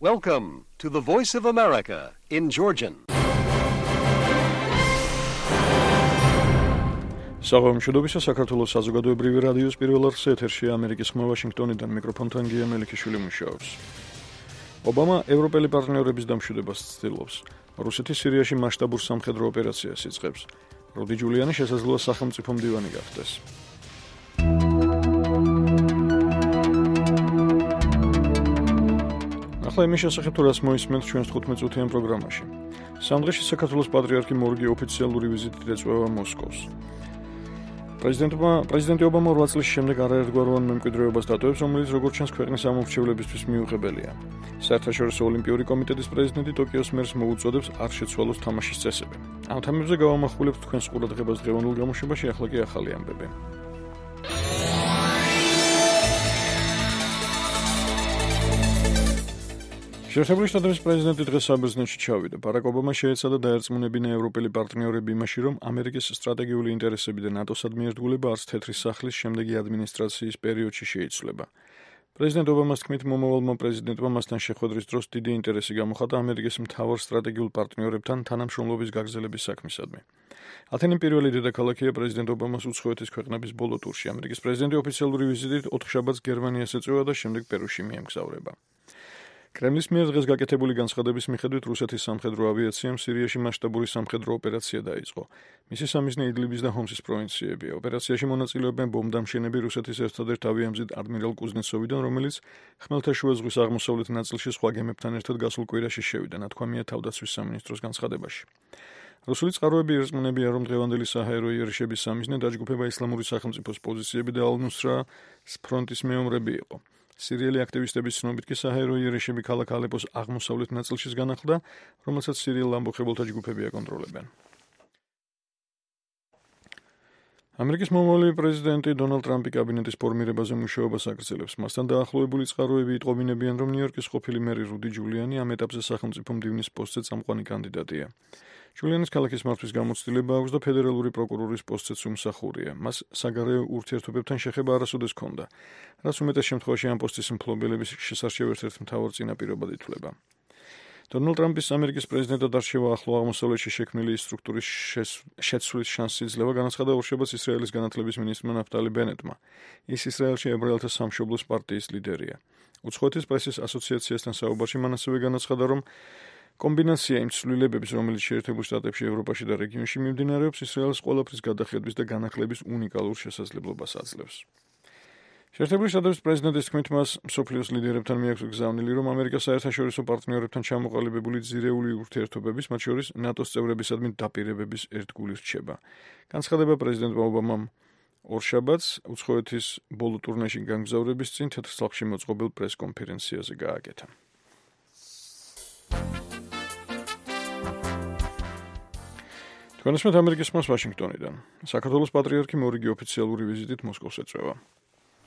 Welcome to the Voice of America in Georgian. საღამოშობისა საქართველოს საზოგადოებრივი რადიოს პირველ არხზე ეთერშია ამერიკის ხმა ვაშინგტონიდან მიკროფონთან გია მელიქიშვილი მუშაობს. ობამა ევროპელი პარტნიორების დამშვიდებას ცდილობს. რუსეთი სირიაში მასშტაბურ სამხედრო ოპერაციას იწყებს. რუდი ჯულიანი შესაძლოა სახელმწიფო მდივანი გახდეს. ახლა იმის შესახებ თუ რას მოისმენთ ჩვენს 15 წუთიან პროგრამაში. სამ დღეში საქართველოს პატრიარქი მორგი ოფიციალური ვიზიტით ეწვევა მოსკოვს. პრეზიდენტი ობამა 8 წლის შემდეგ არაერთგვაროვან მემკვიდრეობას დატოვებს, რომელიც როგორც ჩანს ქვეყნის ამომრჩევლებისთვის მიუღებელია. საერთაშორისო ოლიმპიური კომიტეტის პრეზიდენტი ტოკიოს მერს მოუწოდებს არ შეცვალოს თამაშის წესები. ამ თემებზე გავამახვილებთ თქვენს ყურადღებას დღევანდელ გამოშვებაში, ახლა კი ახალი ამბები. შეერთებული შტატების პრეზიდენტი დღეს საბერძნეთში ჩავიდა. ბარაკ ობამა შეეცადა დაერწმუნებინა ევროპელი პარტნიორები იმაში, რომ ამერიკის სტრატეგიული ინტერესები და ნატოსადმი ერთგულება არც თეთრი სახლის შემდეგი ადმინისტრაციის პერიოდში შეიცვლება. პრეზიდენტ ობამას თქმით, მომავალმა პრეზიდენტმა მასთან შეხვედრის დროს დიდი ინტერესი გამოხატა ამერიკის მთავარ სტრატეგიულ პარტნიორებთან თანამშრომლობის გაგრძელების საქმისადმი. ათენი პირველი დედაქალაქია პრეზიდენტ ობამას უცხოეთის ქვეყნების ბოლო ტურში. ამერიკის პრეზიდენტი ოფიციალური ვიზიტით 4 შაბათს გერმანიას ეწევა და შემდეგ პერუში მიემგზავრება. კრემლის მიერ დღეს გაკეთებული განცხადების მიხედვით რუსეთის სამხედრო ავიაციამ სირიაში მასშტაბური სამხედრო ოპერაცია დაიწყო. მისი სამიზნე იდლიბის და ჰომსის პროვინციებია. ოპერაციაში მონაწილეობენ ბომბდამშენები რუსეთის ერთადერთ ავიამზით ადმირალ კუზნეცოვიდან, რომელიც ხმელთაშუა ზღვის აღმოსავლეთ ნაწილში სხვა გემებთან ერთად გასულ კვირაში შევიდა, ნათქვამია თავდაცვის სამინისტროს განცხადებაში. რუსული წყაროები ერწმუნებიან, რომ დღევანდელი საჰაერო იერიშების სამიზნე დაჯგუფება ისლამური სახელმწიფოს პოზიციები და ალ-ნუსრას ფრონტის მეომრები იყო. სირიელი აქტივისტების ცნობით კი საჰაერო იერიშები ქალაქ ალეპოს აღმოსავლეთ ნაწილშიც განახლდა, რომელსაც სირიელ ამბოხებელთა ჯგუფები აკონტროლებენ. ამერიკის მომავალი პრეზიდენტი დონალდ ტრამპი კაბინეტის ფორმირებაზე მუშაობას აგრძელებს. მასთან დაახლოებული წყაროები იტყობინებიან, რომ ნიუ-იორკის ყოფილი მერი რუდი ჯულიანი ამ ეტაპზე სახელმწიფო მდივნის პოსტზე წამყვანი კანდიდატია. ჯულიანის ქალაქის მართვის გამოცდილება აქვს და ფედერალური პროკურორის პოსტზეც უმსახურია. მას საგარეო ურთიერთობებთან შეხება არასოდეს ჰქონდა, რაც უმეტეს შემთხვევაში ამ პოსტის მფლობელების შესარჩევ ერთ-ერთ მთავარ წინაპირობად ითვლება. დონალდ ტრამპის ამერიკის პრეზიდენტად არჩევა ახლო აღმოსავლეთში შექმნილი სტრუქტურის შეცვლის შანსი იძლევა, განაცხადა ორშაბათს ისრაელის განათლების მინისტრმა ნაფტალი ბენეტმა. ის ისრაელში ებრაელთა სამშობლოს პარტიის ლიდერია. უცხოეთის პრესის ასოციაციასთან საუბარში მან ასევე განაცხადა, რომ კომბინაცია იმ ცვლილებების, რომელიც შეერთებულ შტატებში, ევროპაში და რეგიონში მიმდინარეობს, ისრაელს ყველაფრის გადახედვის და განახლების უნიკალურ შესაძლებლობას აძლევს. შეერთებული შტატების პრეზიდენტის თქმით, მას მსოფლიოს ლიდერებთან მიაქვს გზავნილი, რომ ამერიკას საერთაშორისო პარტნიორებთან ჩამოყალიბებული ძირეული ურთიერთობების, მათ შორის ნატოს წევრებისადმი დაპირებების ერთგული რჩება. განცხადება პრეზიდენტმა ობამამ ორშაბათს უცხოეთის ბოლო ტურნეში გამგზავრების წინ თეთრ სახლში მოწყობილ პრესკონფერენციაზე გააკეთა. თქვენსმეთ ამერიკის ხმას ვაშინგტონიდან. საქართველოს პატრიარქი მორიგი ოფიციალური ვიზიტით მოსკოვს ეწვევა.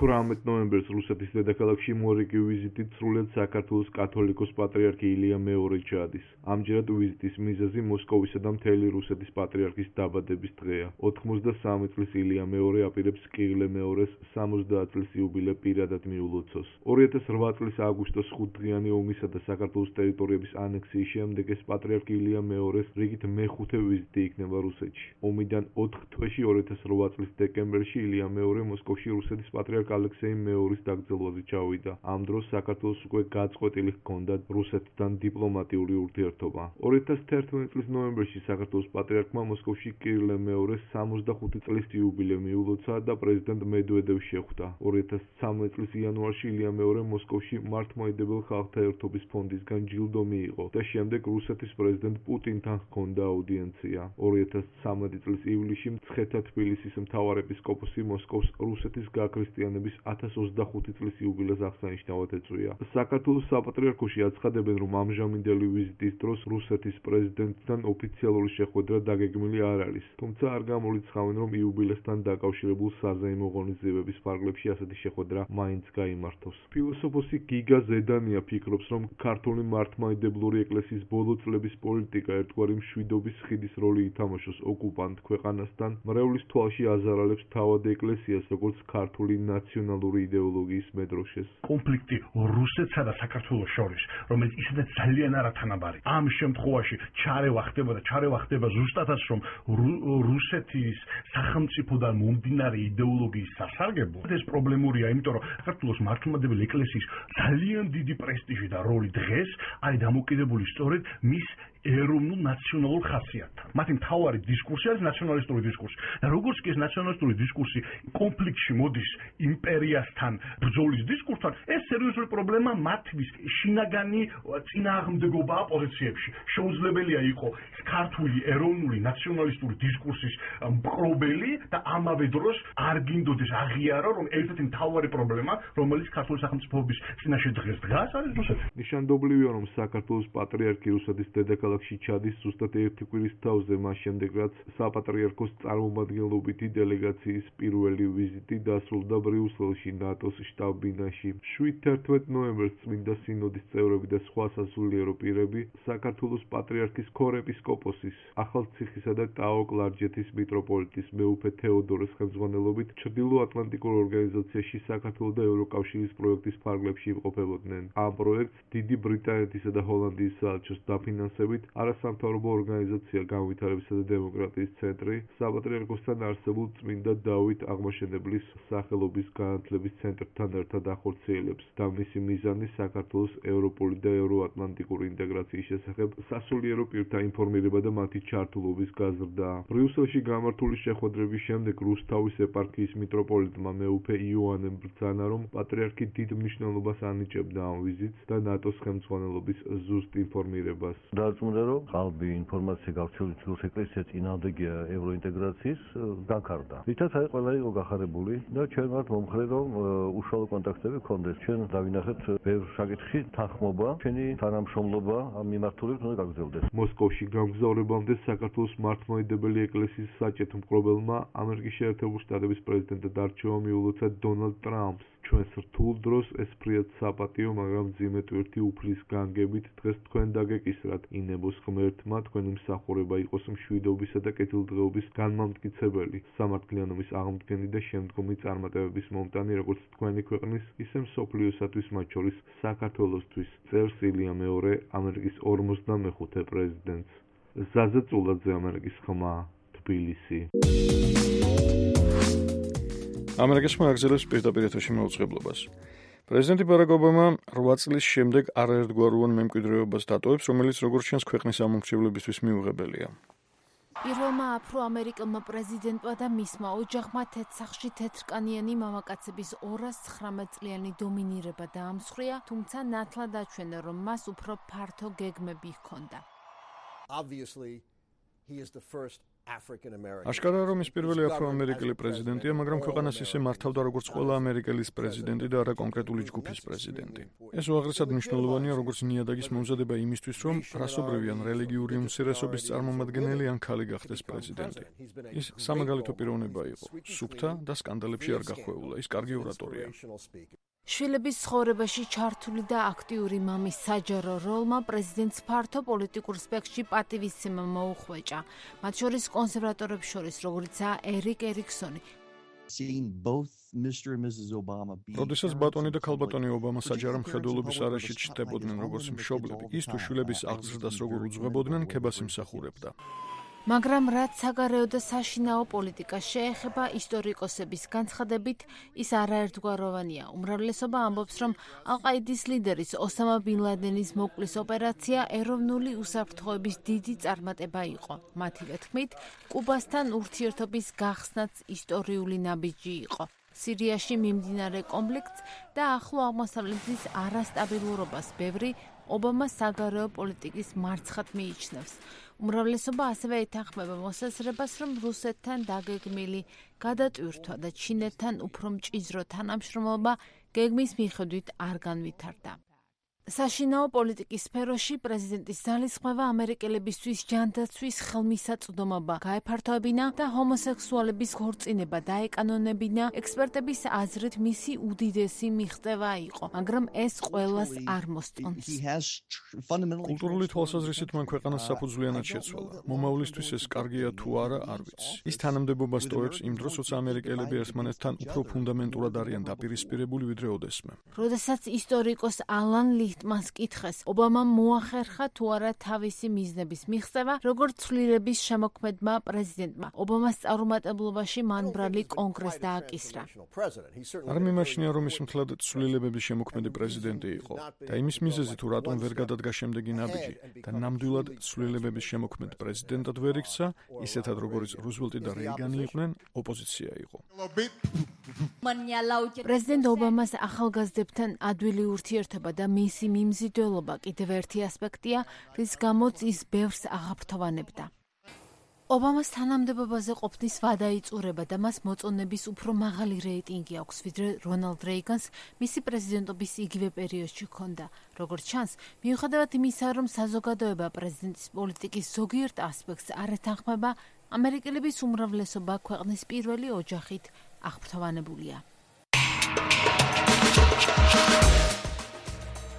18 ნოემბერს რუსეთის დედაქალაქში მორიგი ვიზიტით სრულიად საქართველოს კათოლიკოს პატრიარქი ილია მეორე ჩადის. ამჯერად ვიზიტის მიზეზი მოსკოვისა და მთელი რუსეთის პატრიარქის დაბადების დღეა. 83 წლის ილია მეორე აპირებს კირილე მეორეს 70 წლის იუბილე პირადად მიულოცოს. 2008 წლის აგვისტოს 5 დღიანი ომისა და საქართველოს ტერიტორიების ანექსიის შემდეგ ეს პატრიარქი ილია მეორეს რიგით მეხუთე ვიზიტი იქნება რუსეთში. ომიდან 4 თვეში 2008 წლის დეკემბერში ილია მეორე მოსკოვში რუსეთის პატრიარქ ალექსეი მეორის დაკრძალვაზე ჩავიდა. ამ დროს საქართველოს უკვე გაწყვეტილი ჰქონდა რუსეთთან დიპლომატიური ურთიერთობა. 2011 წლის ნოემბერში საქართველოს პატრიარქმა მოსკოვში კირილე მეორეს 65 წლის იუბილე მიულოცა და პრეზიდენტ მედვედევს შეხვდა. 2013 წლის იანვარში ილია მეორე მოსკოვში მართლმადიდებელ ხალხთა ერთობის ფონდისგან ჯილდო მიიღო და შემდეგ რუსეთის პრეზიდენტ პუტინთან ჰქონდა აუდიენცია. 2013 წლის ივლისში მცხეთა თბილისის მთავარეპისკოპოსი მოსკოვს რუსეთის გაქრისტიანების 1025 წლის იუბილეს აღსანიშნავად ეწვია. საქართველოს საპატრიარქოში აცხადებენ, რომ ამჟამინდელი ვიზიტის დროს რუსეთის პრეზიდენტთან ოფიციალური შეხვედრა დაგეგმილი არ არის. თუმცა არ გამორიცხავენ, რომ იუბილესთან დაკავშირებულ საზეიმო ღონისძიებების ფარგლებში ასეთი შეხვედრა მაინც გაიმართოს. ფილოსოფოსი გიგა ზედანია ფიქრობს, რომ ქართული მართლმადიდებლური ეკლესიის ბოლო წლების პოლიტიკა ერთგვარი მშვიდობის ხიდის როლი ითამაშოს ოკუპანტ ქვეყანასთან, მრევლის თვალში აზარალებს თავად ეკლესიას, როგორც ქართული ნაციონალური იდეოლოგიის მედროშეს. კონფლიქტი რუსეთსა და საქართველოს შორის, რომელიც ისედაც ძალიან არათანაბარი. ამ შემთხვევაში ჩარევა ხდება ზუსტადაც რომ რუსეთის სახელმწიფოდან მომდინარე იდეოლოგიის სასარგებლო. ეს პრობლემურია, იმიტომ რომ საქართველოს მართლმადიდებელი ეკლესიის ძალიან დიდი პრესტიჟი და როლი დღეს არის დამოკიდებული სწორედ მის ეროვნულ ნაციონალურ ხასიათთან. მათი მთავარი დისკურსი არის ნაციონალისტური დისკურსი. და როგორც კი ეს ნაციონალისტური დისკურსი კონფლიქტში მოდის იმპერიასთან ბრძოლის დისკურსთან, ეს სერიოზული პრობლემა მათთვის შინაგანი წინააღმდეგობაა პოზიციებში. შეუძლებელია იყოს ქართული ეროვნული ნაციონალისტური დისკურსის მკრობელი და ამავე დროს არ გინდოდეს აღიარო, რომ ერთ-ერთი მთავარი პრობლემა, რომელიც ქართული სახელმწიფოების წინაშე დღეს დგას, არის რუსეთი. ნიშანდობლივია, რომ საქართველოს პატრიარქი რუსეთის დედაქალაქში ჩადის ზუსტად ერთი კვირის თავზე, მას შემდეგ რაც საპატრიარქოს წარმომადგენლობითი დელეგაციის პირველი ვიზიტი დასრულდა ბრიუსელში, ნატოს შტაბ-ბინაში. 7-11 ნოემბერს წმინდა სინოდის წევრები და სხვა სასულიერო პირები საქართველოს პატრიარქის ქორეპისკოპოსის, ახალციხისა და ტაო-კლარჯეთის მიტროპოლიტის მეუფე თეოდორეს ხელმძღვანელობით ჩრდილო-ატლანტიკურ ორგანიზაციაში საქართველოს და ევროკავშირის პროექტის ფარგლებში იმყოფებოდნენ. ამ პროექტს დიდი ბრიტანეთისა და ჰოლანდიის საელჩოს დაფინანსებით არასამთავრობო ორგანიზაცია განვითარებისა და დემოკრატიის ცენტრი საპატრიარქოსთან არსებულ წმინდა დავით აღმაშენებლის სახელობის განათლების ცენტრთან ერთად ახორციელებს და მისი მიზანი საქართველოს ევროპული და ევროატლანტიკური ინტეგრაციის შესახებ სასულიერო პირთა ინფორმირება და მათი ჩართულობის გაზრდა. ბრიუსელში გამართული შეხვედრების შემდეგ რუსთავის ეპარქიის მიტროპოლიტმა მეუფე იოანემ ბრძანა, რომ პატრიარქი დიდ მნიშვნელობას ანიჭებდა ამ ვიზიტს და ნატოს ხელმძღვანელობის ზუსტ ინფორმირებას. დარწმუნდა, რომ ყალბი ინფორმაცია გავრცელებული თითქოს ეკლესია წინააღმდეგია ევროინტეგრაციის განხარდა. რითაც აი ყველა იყო გახარებული და ჩვენ ვართ მომხრე, რომ უშუალო კონტაქტები გქონდეს. ჩვენ დავინახეთ ბევრ საკითხში თანხმობა, ჩვენი თანამშრომლობა ამ მიმართულებით უნდა გაგრძელდეს. მოსკოვში გამგზავრებამდე საქართველოს მართლმადიდებელი ეკლესიის საჭეთ მკრობელმა ამერიკის შეერთებული შტატების პრეზიდენტად არჩევა მიულოცა დონალდ ტრამპს. ჩვენს რთულ დროს ეს ფრიად საპატიო, მაგრამ მძიმე ტვირთი უფლის განგებით დღეს თქვენ დაგეკისრათ. ინებოს ღმერთმა თქვენი მსახურება იყოს მშვიდობისა და კეთილდღეობის განმამტკიცებელი, სამართლიანობის აღმდგენი და შემდგომი წარმატებების მომტანი, როგორც თქვენი ქვეყნის, ისე მსოფლიოსათვის, მათ შორის საქართველოსთვის. წერს ილია მეორე, ამერიკის 45-ე პრეზიდენტს. ზაზა წულაძე, ამერიკის ხმა, თბილისი. ამერიკის ხმა აგრძელებს პირდაპირ ეთერში მაუწყებლობას. პრეზიდენტი ბარაკ ობამა 8 წლის შემდეგ არაერთგვაროვან მემკვიდრეობას დატოვებს, რომელიც როგორც ჩანს ქვეყნის ამომრჩევლებისთვის მიუღებელია. პირველმა აფრო-ამერიკელმა პრეზიდენტმა და მისმა ოჯახმა თეთრსახში თეთრკანიანი მამაკაცების 219 წლიანი დომინირება დაამსხვრია, თუმცა ნათლად აჩვენა, რომ მას უფრო ფართო გეგმები ჰქონდა. აშკარაა, რომ ის პირველი აფრო-ამერიკელი პრეზიდენტია, მაგრამ ქვეყანას ისე მართავდა, როგორც ყველა ამერიკელის პრეზიდენტი და არა კონკრეტული ჯგუფის პრეზიდენტი. ეს უაღრესად მნიშვნელოვანია, როგორც ნიადაგის მომზადება იმისთვის, რომ რასობრივი ან რელიგიური უმცირესობის წარმომადგენელი ან ქალი გახდეს პრეზიდენტი. ის სამაგალითო პიროვნება იყო, სუფთა და სკანდალებში არ გახვეულა, ის კარგი ორატორია. შვილების ცხოვრებაში ჩართული და აქტიური მამის საჯარო როლმა პრეზიდენტს ფართო პოლიტიკურ სპექტრში პატივისცემა მოუხვეჭა, მათ შორის კონსერვატორებს შორის, როგორიცაა ერიკერიksoni. როდესაც ბატონი და ქალბატონი ობამა საჯარო მხედველობის არეშიც ჩნდებოდნენ როგორც მშობლები, ის თუ შვილების აღზრდას როგორ უძღვებოდნენ, ქებას იმსახურებდა. მაგრამ რაც საგარეო და საშინაო პოლიტიკას შეეხება, ისტორიკოსების განცხადებით, ის არაერთგვაროვანია. უმრავლესობა ამბობს, რომ ალ-ყაიდის ლიდერის ოსამა ბინ ლადენის მოკლის ოპერაცია ეროვნული უსაფრთხოების დიდი წარმატება იყო. მათივე თქმით, კუბასთან ურთიერთობის გახსნაც ისტორიული ნაბიჯი იყო. სირიაში მიმდინარე კონფლიქტს და ახლო აღმოსავლეთის არასტაბილურობას ბევრი ობამას საგარეო პოლიტიკის მარცხად მიიჩნევს. უმრავლესობა ასევე ეთანხმება მოსაზრებას, რომ რუსეთთან დაგეგმილი გადატვირთვა და ჩინეთთან უფრო მჭიდრო თანამშრომლობა გეგმის მიხედვით არ განვითარდა. საშინაო პოლიტიკის სფეროში პრეზიდენტის ძალისხმევა ამერიკელებისთვის ჯანდაცვის ხელმისაწვდომობა გაეფართოებინა და ჰომოსექსუალების ქორწინება დაეკანონებინა ექსპერტების აზრით მისი უდიდესი მიღწევა იყო, მაგრამ ეს ყველას არ მოსწონს. კულტურული თვალსაზრისით მან ქვეყანას საფუძვლიანად შეცვალა. მომავლისთვის ეს კარგია თუ არა, არ ვიცი. ის თანამდებობას ტოვებს იმ დროს, როცა ამერიკელები ერთმანეთთან უფრო ფუნდამენტურად არიან დაპირისპირებული ვიდრე ოდესმე. როდესაც ისტორიკოს ალან ლიხტმანს კითხეს, ობამამ მოახერხა თუ არა თავისი მიზნების მიღწევა, როგორც ცვლილების შემოქმედმა პრეზიდენტმა. ობამას წარუმატებლობაში მან ბრალი კონგრესს დააკისრა. არ მიმაჩნია, რომ ის მთლად ცვლილებების შემოქმედი პრეზიდენტი იყო და იმის მიზეზი თუ რატომ ვერ გადადგა შემდეგი ნაბიჯი და ნამდვილად ცვლილებების შემოქმედ პრეზიდენტად ვერ იქცა, ისეთად როგორც რუზველტი და რეიგანი იყვნენ, ოპოზიცია იყო. პრეზიდენტ ობამას ახალგაზრდებთან ადვილი ურთიერთობა და მისი მიმზიდველობა კიდევ ერთი ასპექტია, რის გამოც ის ბევრს აღაფრთოვანებდა. ობამას თანამდებობაზე ყოფნის ვადა იწურება და მას მოწონების უფრო მაღალი რეიტინგი აქვს, ვიდრე რონალდ რეიგანს მისი პრეზიდენტობის იგივე პერიოდში ჰქონდა. როგორც ჩანს, მიუხედავად იმისა, რომ საზოგადოება პრეზიდენტის პოლიტიკის ზოგიერთ ასპექტს არ ეთანხმება, ამერიკელების უმრავლესობა ქვეყნის პირველი ოჯახით აღფრთოვანებულია.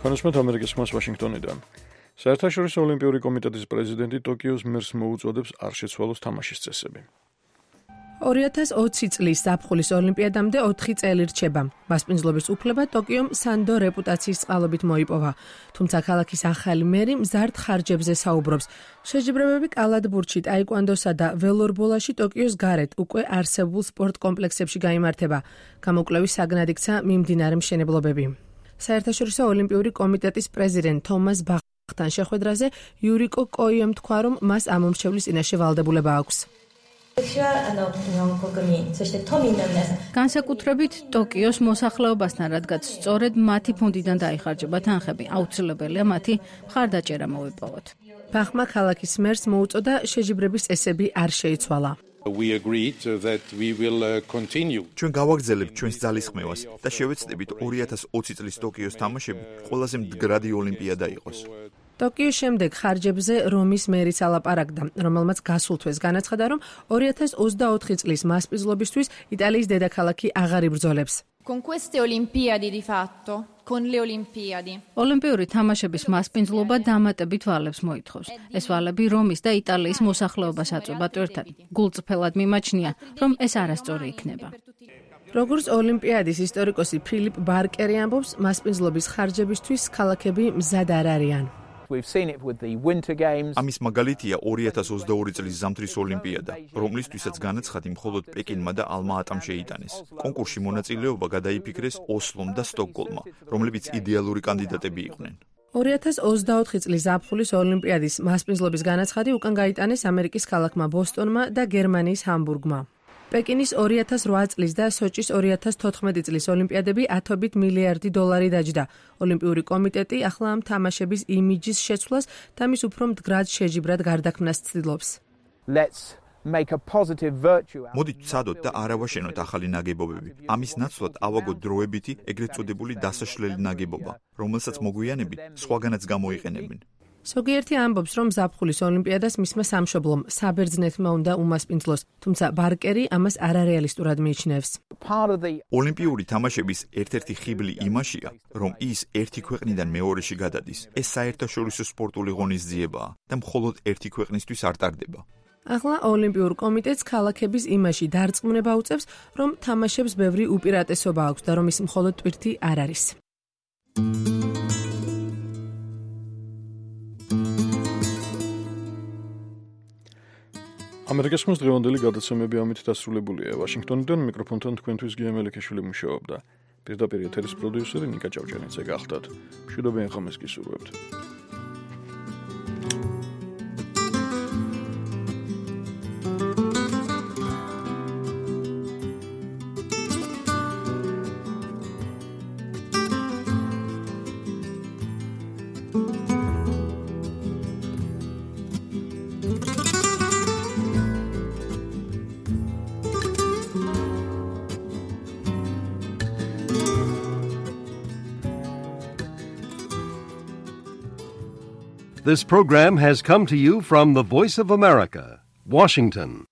ხანაშმეთ ამერიკის ხმას ვაშინგტონიდან. საერთაშორისო ოლიმპიური კომიტეტის პრეზიდენტი ტოკიოს მერს მოუწოდებს არ შეცვალოს თამაშის წესები. 2020 წლის ზაფხულის ოლიმპიადამდე 4 წელი რჩება. მასპინძლობის უფლება ტოკიომ სანდო რეპუტაციის წყალობით მოიპოვა. თუმცა ქალაქის ახალი მერი მზარდ ხარჯებზე საუბრობს. შეჯიბრებები კალათბურთში, ტაიკვანდოსა და ველორბოლაში ტოკიოს გარეთ უკვე არსებულ სპორტ კომპლექსებში გაიმართება. გამოკვლევის საგნად იქცა მიმდინარე მშენებლობები. საერთაშორისო ოლიმპიური კომიტეტის პრეზიდენტ თომას ბახთან შეხვედრაზე იურიკო კოიემ თქვა, რომ მას ამ მომრჩევლის წინაშე ვალდებულება აქვს. განსაკუთრებით ტოკიოს მოსახლეობასთან, რადგან სწორედ მათი ფონდიდან დაიხარჯება თანხები, აუცილებელია მათი მხარდაჭერა მოვიპოვოთ. ბახმა ქალაქის მერს მოუწოდა შეჯიბრების წესები არ შეიცვალა. ჩვენ გავაგრძელებთ ჩვენს ძალისხმევას და შევეცდებით 2020 წლის ტოკიოს თამაშები ყველაზე მდგრადი ოლიმპიადა იყოს. ტოკიოს შემდეგ ხარჯებზე რომის მერიც ალაპარაკდა, რომელმაც გასულ თვეს განაცხადა, რომ 2024 წლის მასპინძლობისთვის იტალიის დედაქალაქი აღარ იბრძოლებს. ოლიმპიური თამაშების მასპინძლობა დამატებით ვალებს მოითხოვს. ეს ვალები რომის და იტალიის მოსახლეობას აწვებათ ერთად. გულწრფელად მიმაჩნია, რომ ეს არასწორი იქნება. როგორც ოლიმპიადის ისტორიკოსი ფილიპ ბარკერი ამბობს, მასპინძლობის ხარჯებისთვის ქალაქები მზად არ არიან. ამის მაგალითია 2022 წლის ზამთრის ოლიმპიადა, რომლისთვისაც განაცხადი მხოლოდ პეკინმა და ალმა-ატამ შეიტანეს. კონკურსში მონაწილეობა გადაიფიქრეს ოსლომ და სტოკგოლმმა, რომლებიც იდეალური კანდიდატები იყვნენ. 2024 წლის ზაფხულის ოლიმპიადის მასპინძლობის განაცხადი უკან გაიტანეს ამერიკის ქალაქმა ბოსტონმა და გერმანიის ჰამბურგმა. პეკინის 2008 წლის და სოჭის 2014 წლის ოლიმპიადები $10 მილიარდი დაჯდა. ოლიმპიური კომიტეტი ახლა ამ თამაშების იმიჯის შეცვლას და მის უფრო მდგრად შეჯიბრად გარდაქმნას ცდილობს. მოდით ვცადოთ და არ ავაშენოთ ახალი ნაგებობები. ამის ნაცვლად ავაგოთ დროებითი, ეგრეთ წოდებული დასაშლელი ნაგებობა, რომელსაც მოგვიანებით სხვაგანაც გამოიყენებენ. ზოგიერთი ამბობს, რომ ზაფხულის ოლიმპიადას მისმა სამშობლომ საბერძნეთმა უნდა უმასპინძლოს, თუმცა ბარკერი ამას არარეალისტურად მიიჩნევს. ოლიმპიური თამაშების ერთ-ერთი ხიბლი იმაშია, რომ ის ერთი ქვეყნიდან მეორეში გადადის. ეს საერთაშორისო სპორტული ღონისძიებაა და მხოლოდ ერთი ქვეყნისთვის არ ტარდება. ახლა ოლიმპიურ კომიტეტს ქალაქების იმაში დარწმუნება უწევს, რომ თამაშებს ბევრი უპირატესობა აქვს და რომ ის მხოლოდ ტვირთი არ არის. ამერიკის ხმის დღევანდელი გადაცემები ამით დასრულებულია. ვაშინგტონიდან მიკროფონთან თქვენთვის გია მელიქიშვილი მუშაობდა. პირდაპირ ეთერის პროდიუსერი ნიკა ჭავჭანიძე გახდათ. მშვიდობიან ხომეს გისურვებთ. This program has come to you from the Voice of America, Washington.